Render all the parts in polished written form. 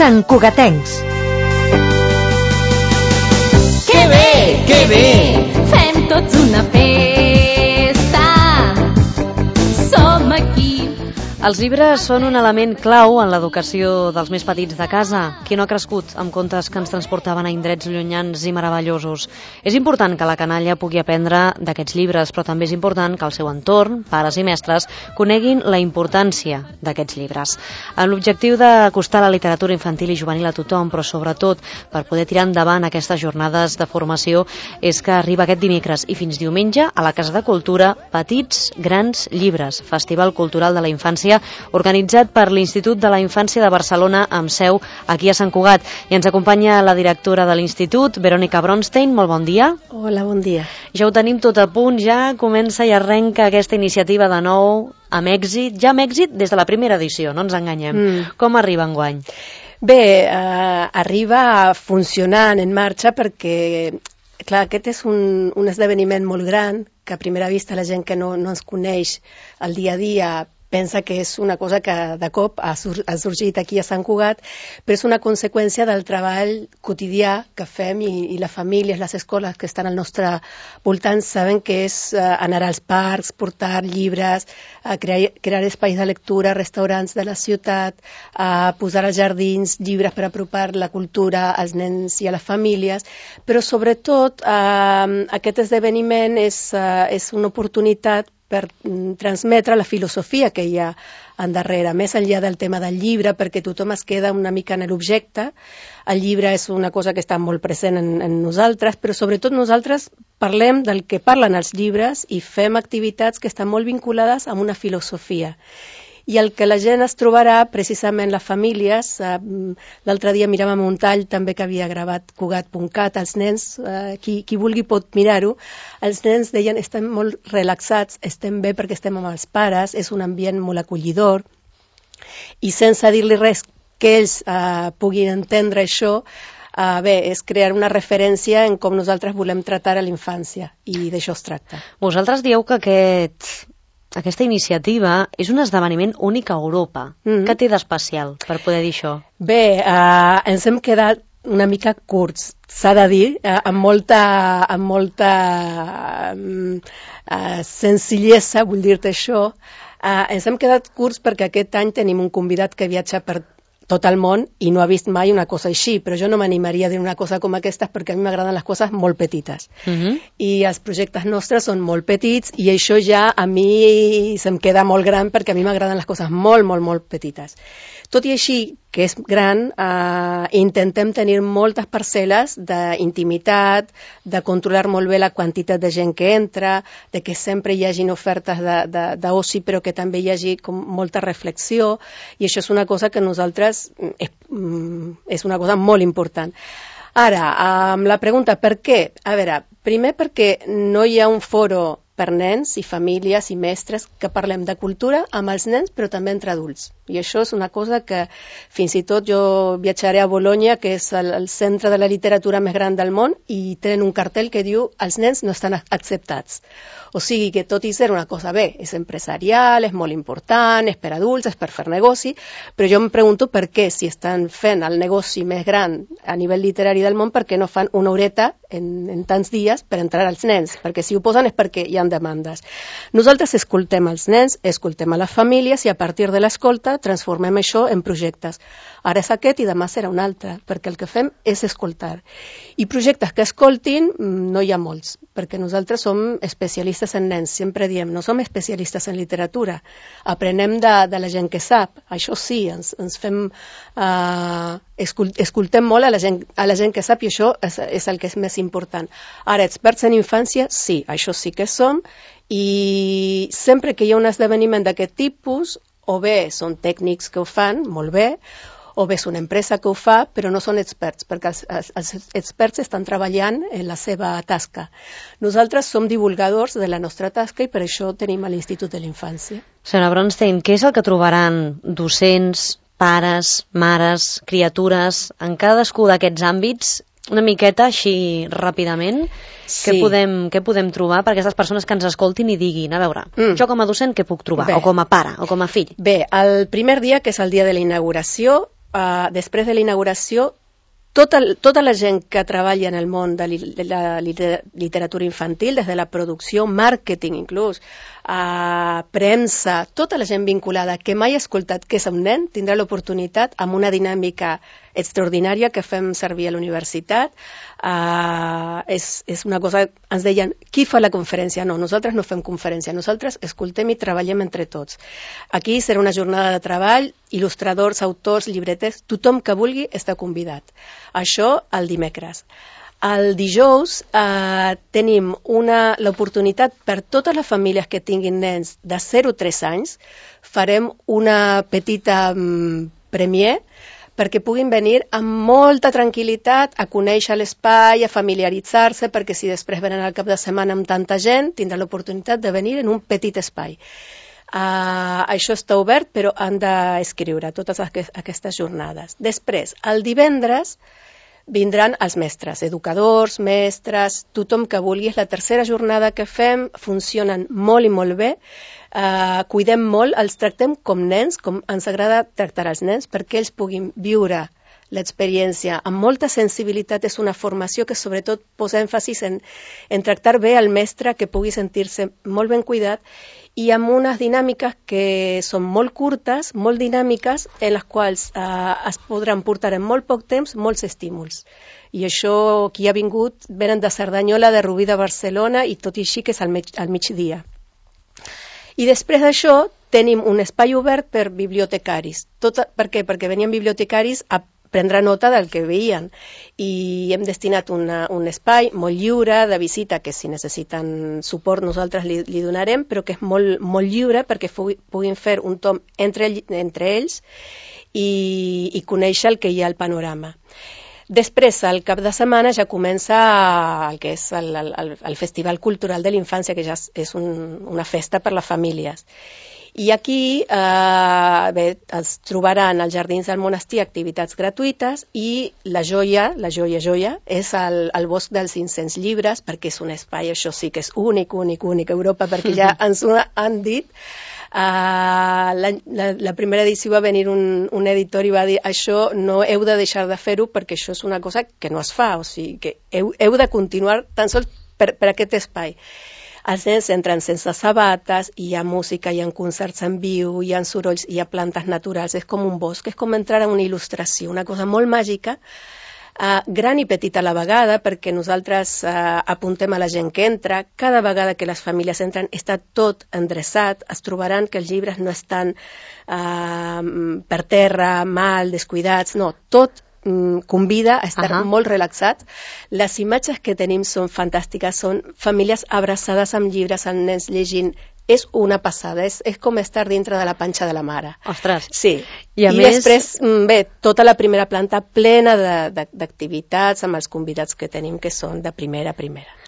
santcugatencs. Que bé! Que bé! Fem tots una festa! Som aquí! Els llibres són un element clau en l'educació dels més petits de casa. Qui no ha crescut amb contes que ens transportaven a indrets llunyans i meravellosos? És important que la canalla pugui aprendre d'aquests llibres, però també és important que el seu entorn, pares i mestres, coneguin la importància d'aquests llibres. Amb l'objectiu d'acostar la literatura infantil i juvenil a tothom, però sobretot per poder tirar endavant aquestes jornades de formació, és que arriba aquest dimecres i fins diumenge a la Casa de Cultura Petits Grans Llibres, Festival Cultural de la Infància, organitzat per l'Institut de la Infància de Barcelona amb seu aquí a Sant Cugat. I ens acompanya la directora de l'Institut, Verònica Bronstein. Molt bon dia. Hola, bon dia. Ja ho tenim tot a punt, ja comença i arrenca aquesta iniciativa de nou amb èxit, ja amb èxit des de la primera edició, no ens enganyem. Com arriba enguany? Bé, arriba funcionant, en marxa, perquè clar, aquest és un esdeveniment molt gran, que a primera vista la gent que no ens coneix al dia a dia pensa que és una cosa que de cop ha sorgit aquí a Sant Cugat, però és una conseqüència del treball quotidià que fem i les famílies, les escoles que estan al nostre voltant saben que és anar als parcs, portar llibres, crear espais de lectura, restaurants de la ciutat, posar als jardins llibres per apropar la cultura als nens i a les famílies, però sobretot aquest esdeveniment és una oportunitat per transmetre la filosofia que hi ha endarrere, més enllà del tema del llibre, perquè tothom es queda una mica en l'objecte. El llibre és una cosa que està molt present en nosaltres, però sobretot nosaltres parlem del que parlen els llibres i fem activitats que estan molt vinculades amb una filosofia. I el que la gent es trobarà, precisament les famílies, l'altre dia miràvem un tall també que havia gravat Cugat.cat, els nens, qui vulgui pot mirar-ho, els nens deien estem molt relaxats, estem bé perquè estem amb els pares, és un ambient molt acollidor, i sense dir-li res que ells puguin entendre això, bé, és crear una referència en com nosaltres volem tractar a la infància, i d'això es tracta. Vosaltres dieu que aquesta iniciativa és un esdeveniment únic a Europa. Què té d'especial per poder dir això? Bé, ens hem quedat una mica curts, s'ha de dir, amb molta senzillesa, vull dir-te això. Ens hem quedat curts perquè aquest any tenim un convidat que viatja per tot el món i no ha vist mai una cosa així, però jo no m'animaria a dir una cosa com aquesta perquè a mi m'agraden les coses molt petites. I els projectes nostres són molt petits i això ja a mi se'm queda molt gran perquè a mi m'agraden les coses molt, molt, molt petites. Tot i així, que és gran, intentem tenir moltes parcel·les d'intimitat, de controlar molt bé la quantitat de gent que entra, de que sempre hi hagin ofertes d'oci, però que també hi hagi com molta reflexió, i això és una cosa que nosaltres és una cosa molt important. Ara, amb la pregunta per què? A veure, primer perquè no hi ha un foro per nens i famílies i mestres que parlem de cultura amb els nens però també entre adults. I això és una cosa que fins i tot jo viatjaré a Bologna, que és el centre de la literatura més gran del món, i tenen un cartell que diu els nens no estan acceptats. O sigui que tot i ser una cosa bé, és empresarial, és molt important, és per adults, és per fer negoci, però jo em pregunto per què, si estan fent el negoci més gran a nivell literari del món, per què no fan una horeta en tants dies per entrar als nens? Perquè si ho posen és perquè hi ha demandes. Nosaltres escoltem els nens, escoltem a les famílies i a partir de l'escolta transformem això en projectes. Ara és aquest i demà serà un altre, perquè el que fem és escoltar. I projectes que escoltin no hi ha molts, perquè nosaltres som especialistes en nens, sempre diem, no som especialistes en literatura, aprenem de la gent que sap, això sí, ens fem... escoltem molt a la gent que sap i això és el que és més important. Ara, experts en infància, sí, això sí que som, i sempre que hi ha un esdeveniment d'aquest tipus, o bé són tècnics que ho fan, molt bé, o bé és una empresa que ho fa, però no són experts, perquè els experts estan treballant en la seva tasca. Nosaltres som divulgadors de la nostra tasca i per això tenim a l'Institut de la Infància. Senyora Bronstein, què és el que trobaran docents, pares, mares, criatures, en cadascú d'aquests àmbits, una miqueta així ràpidament? Sí. Què podem trobar per aquestes persones que ens escoltin i diguin, a veure, jo com a docent què puc trobar? Bé. O com a pare, o com a fill? Bé, el primer dia, que és el dia de la inauguració, després de la inauguració, tota la gent que treballa en el món de la literatura infantil, des de la producció, màrqueting inclús, premsa, tota la gent vinculada que mai ha escoltat què és un nen, tindrà l'oportunitat amb una dinàmica extraordinària que fem servir a la universitat. És una cosa, ens deien, qui fa la conferència? No, nosaltres no fem conferència, nosaltres escoltem i treballem entre tots. Aquí serà una jornada de treball, il·lustradors, autors, llibreters, tothom que vulgui està convidat. Això el dimecres. El dijous tenim l'oportunitat per totes les famílies que tinguin nens de 0 a 3 anys, farem una petita premier perquè puguin venir amb molta tranquil·litat a conèixer l'espai, a familiaritzar-se, perquè si després venen al cap de setmana amb tanta gent, tindran l'oportunitat de venir en un petit espai. Això està obert, però han d'escriure totes aquestes jornades. Després, el divendres, vindran els mestres, educadors, mestres, tothom que vulgui. És la tercera jornada que fem, funcionen molt i molt bé, cuidem molt, els tractem com nens, com ens agrada tractar els nens, perquè ells puguin viure l'experiència amb molta sensibilitat. És una formació que sobretot posa èmfasis en tractar bé el mestre, que pugui sentir-se molt ben cuidat, i amb unes dinàmiques que són molt curtes, molt dinàmiques, en les quals es podran portar en molt poc temps molts estímuls. I això, qui ha vingut, venen de Cerdanyola, de Rubí de Barcelona, i tot i així que és al migdia. I després d'això tenim un espai obert per bibliotecaris. Per què? Perquè venien bibliotecaris a prendre nota del que veien, i hem destinat un espai molt lliure de visita, que si necessiten suport nosaltres li donarem, però que és molt, molt lliure perquè puguin fer un tom entre ells i conèixer el que hi ha al panorama. Després, al cap de setmana, ja comença el que és el Festival Cultural de la Infància, que ja és una festa per les famílies. I aquí es trobaran als Jardins del Monestir activitats gratuïtes, i la joia és el Bosc dels 500 llibres, perquè és un espai, això sí que és únic a Europa, perquè ja ens ho han dit. La primera edició va venir un editor i va dir: això no heu de deixar de fer-ho, perquè això és una cosa que no es fa, o sigui que heu de continuar tan sols per aquest espai. Els nens entren sense sabates, hi ha música, hi ha concerts en viu, hi ha sorolls, hi ha plantes naturals, és com un bosc, és com entrar en una il·lustració, una cosa molt màgica, gran i petita a la vegada, perquè nosaltres apuntem a la gent que entra. Cada vegada que les famílies entren està tot endreçat, es trobaran que els llibres no estan per terra, mal, descuidats, no, tot convida a estar molt relaxat. Les imatges que tenim són fantàstiques, són famílies abraçades amb llibres, amb nens llegint. És una passada, és com estar dintre de la panxa de la mare. Ostres! Sí. I després, tota la primera planta plena d'activitats amb els convidats que tenim, que són de primera.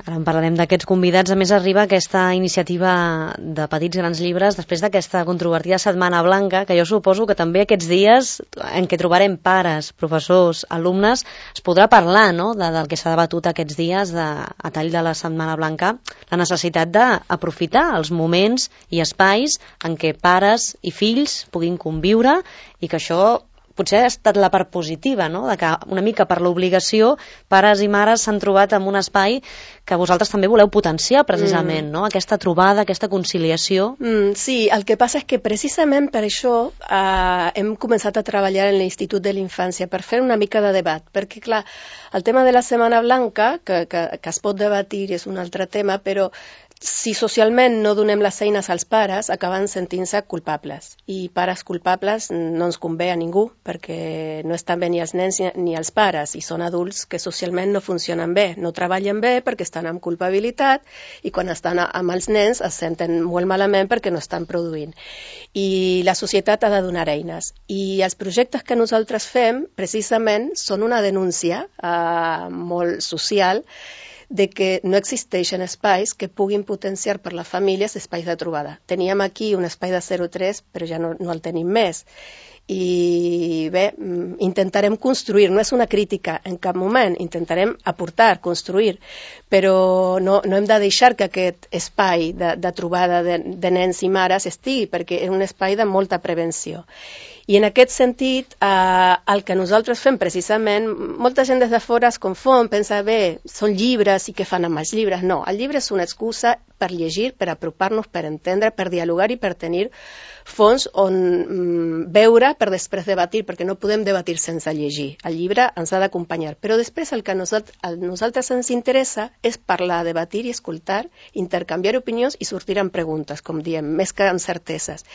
Ara en parlarem d'aquests convidats. A més, arriba aquesta iniciativa de Petits Grans Llibres després d'aquesta controvertida Setmana Blanca, que jo suposo que també aquests dies en què trobarem pares, professors, alumnes, es podrà parlar, no?, del que s'ha debatut aquests dies a tall de la Setmana Blanca, la necessitat d'aprofitar els moments i espais en què pares i fills puguin conviure, i que això potser ha estat la part positiva, no?, de que una mica per l'obligació pares i mares s'han trobat en un espai que vosaltres també voleu potenciar precisament, no?, aquesta trobada, aquesta conciliació. Sí, el que passa és que precisament per això hem començat a treballar en l'Institut de la Infància, per fer una mica de debat, perquè clar, el tema de la Setmana Blanca, que es pot debatir, és un altre tema, però si socialment no donem les eines als pares, acaben sentint-se culpables. I pares culpables no ens convé a ningú, perquè no estan bé ni els nens ni els pares, i són adults que socialment no funcionen bé, no treballen bé perquè estan amb culpabilitat, i quan estan amb els nens es senten molt malament perquè no estan produint. I la societat ha de donar eines. I els projectes que nosaltres fem, precisament, són una denúncia molt social, de que no existeixen espais que puguin potenciar per les famílies espais de trobada. Teníem aquí un espai de 0-3, però ja no el tenim més. I bé, intentarem construir, no és una crítica en cap moment, intentarem aportar, construir, però no hem de deixar que aquest espai de trobada de nens i mares estigui, perquè és un espai de molta prevenció. I en aquest sentit, el que nosaltres fem precisament, molta gent des de fora es confon, pensa, bé, són llibres i què fan amb els llibres? No, el llibre és una excusa per llegir, per apropar-nos, per entendre, per dialogar i per tenir fons on veure per després debatir, perquè no podem debatir sense llegir. El llibre ens ha d'acompanyar. Però després el que a nosaltres ens interessa és parlar, debatir i escoltar, intercanviar opinions i sortir amb preguntes, com diem, més que amb certeses.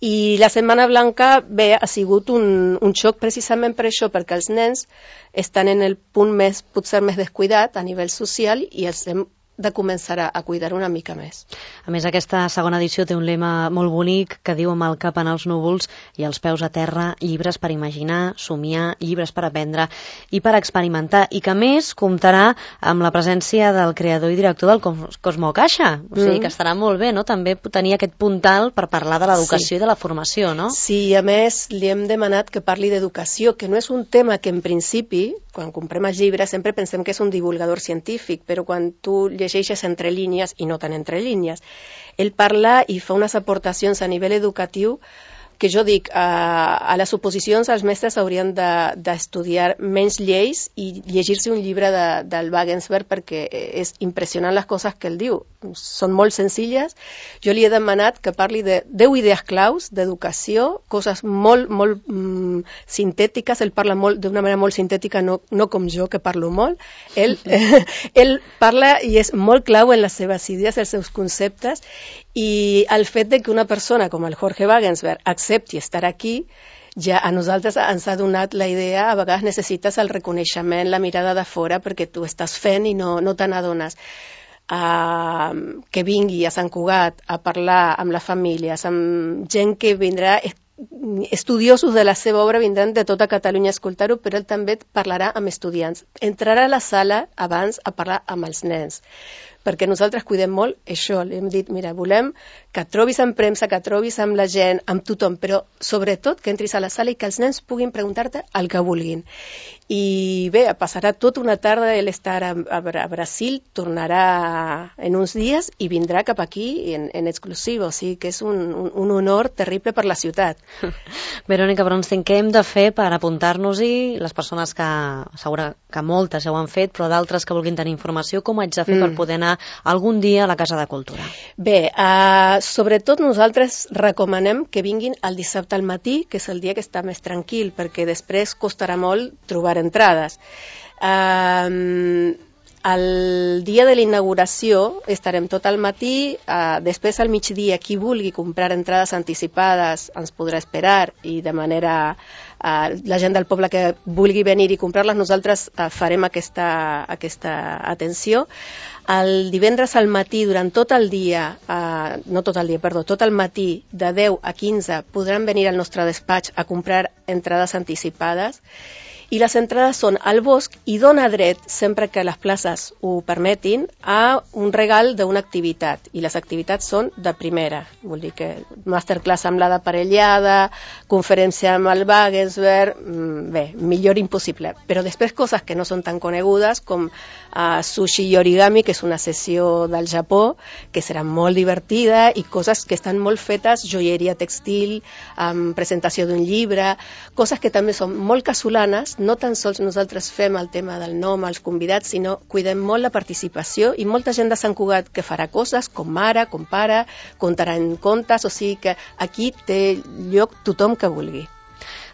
I la Setmana Blanca, bé, ha sigut un xoc precisament per això, perquè els nens estan en el punt potser més descuidat a nivell social i els hem de començar a cuidar una mica més. A més, aquesta segona edició té un lema molt bonic que diu amb el cap en els núvols i els peus a terra, llibres per imaginar, somiar, llibres per aprendre i per experimentar, i que més comptarà amb la presència del creador i director del Cosmo Caixa, o sigui que estarà molt bé, no?, també tenir aquest puntal per parlar de l'educació i de la formació, no? Sí, a més li hem demanat que parli d'educació, que no és un tema que en principi, quan comprem els llibres, sempre pensem que és un divulgador científic, però quan tu llegeixes entre línies, i no tan entre línies, ell parla i fa unes aportacions a nivell educatiu que jo dic, a les oposicions els mestres haurien d'estudiar menys lleis i llegir-se un llibre del Wagensberg, perquè és impressionant les coses que ell diu. Són molt senzilles. Jo li he demanat que parli de 10 idees claus d'educació, coses molt sintètiques. Ell parla d'una manera molt sintètica, no com jo, que parlo molt. Ell parla i és molt clau en les seves idees, els seus conceptes, i el fet de que una persona com el Jorge Wagensberg accepti estar aquí, ja a nosaltres ens ha donat la idea, a vegades necessites el reconeixement, la mirada de fora, perquè tu estàs fent i no te n'adones. Que vingui a Sant Cugat a parlar amb les famílies, amb gent que vindrà, estudiosos de la seva obra vindran de tota Catalunya a escoltar-ho, però ell també parlarà amb estudiants. Entrarà a la sala abans a parlar amb els nens, perquè nosaltres cuidem molt això. Li hem dit, mira, volem que et trobis amb premsa, que et trobis amb la gent, amb tothom, però sobretot que entris a la sala i que els nens puguin preguntar-te el que vulguin. I bé, passarà tota una tarda, ell estarà a Brasil, tornarà en uns dies i vindrà cap aquí en exclusiva, o sigui que és un honor terrible per la ciutat. Verònica Bronstein, què hem de fer per apuntar-nos-hi? Les persones que, segura que moltes ja ho han fet, però d'altres que vulguin tenir informació, com haig de fer per poder anar algun dia a la Casa de Cultura? Bé, sobretot nosaltres recomanem que vinguin el dissabte al matí, que és el dia que està més tranquil, perquè després costarà molt trobar entrades. El dia de la inauguració estarem tot al matí, després al migdia qui vulgui comprar entrades anticipades ens podrà esperar i de manera la gent del poble que vulgui venir i comprar-les nosaltres farem aquesta atenció. El divendres al matí, durant tot el dia, tot el matí, de 10 a 15, podran venir al nostre despatx a comprar entrades anticipades. I les entrades són al bosc i dona dret, sempre que les places ho permetin, a un regal d'una activitat. I les activitats són de primera. Vol dir que masterclass amb la d'aparellada, conferència amb el Wagensberg, bé, millor impossible. Però després coses que no són tan conegudes, com sushi i origami, que és una sessió del Japó, que serà molt divertida, i coses que estan molt fetes, joieria textil, presentació d'un llibre, coses que també són molt casolanes. No tan sols nosaltres fem el tema del nom als convidats, sinó cuidem molt la participació i molta gent de Sant Cugat que farà coses com mare, com pare, contaran contes, o sigui que aquí té lloc tothom que vulgui.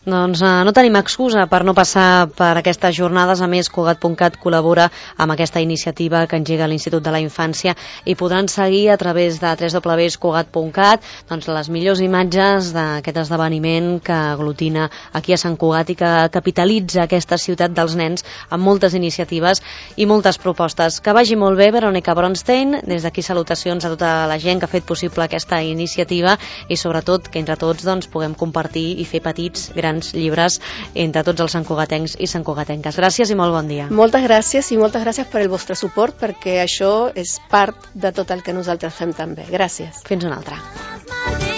Doncs no tenim excusa per no passar per aquestes jornades. A més, Cugat.cat col·labora amb aquesta iniciativa que engega l'Institut de la Infància i podran seguir a través de www.cugat.cat les millors imatges d'aquest esdeveniment que aglutina aquí a Sant Cugat i que capitalitza aquesta ciutat dels nens amb moltes iniciatives i moltes propostes. Que vagi molt bé, Verònica Bronstein. Des d'aquí salutacions a tota la gent que ha fet possible aquesta iniciativa i sobretot que entre tots puguem compartir i fer petits grans grans llibres entre tots els santcugatencs i santcugatenques. Gràcies i molt bon dia. Moltes gràcies i moltes gràcies per el vostre suport, perquè això és part de tot el que nosaltres fem també. Gràcies. Fins una altra.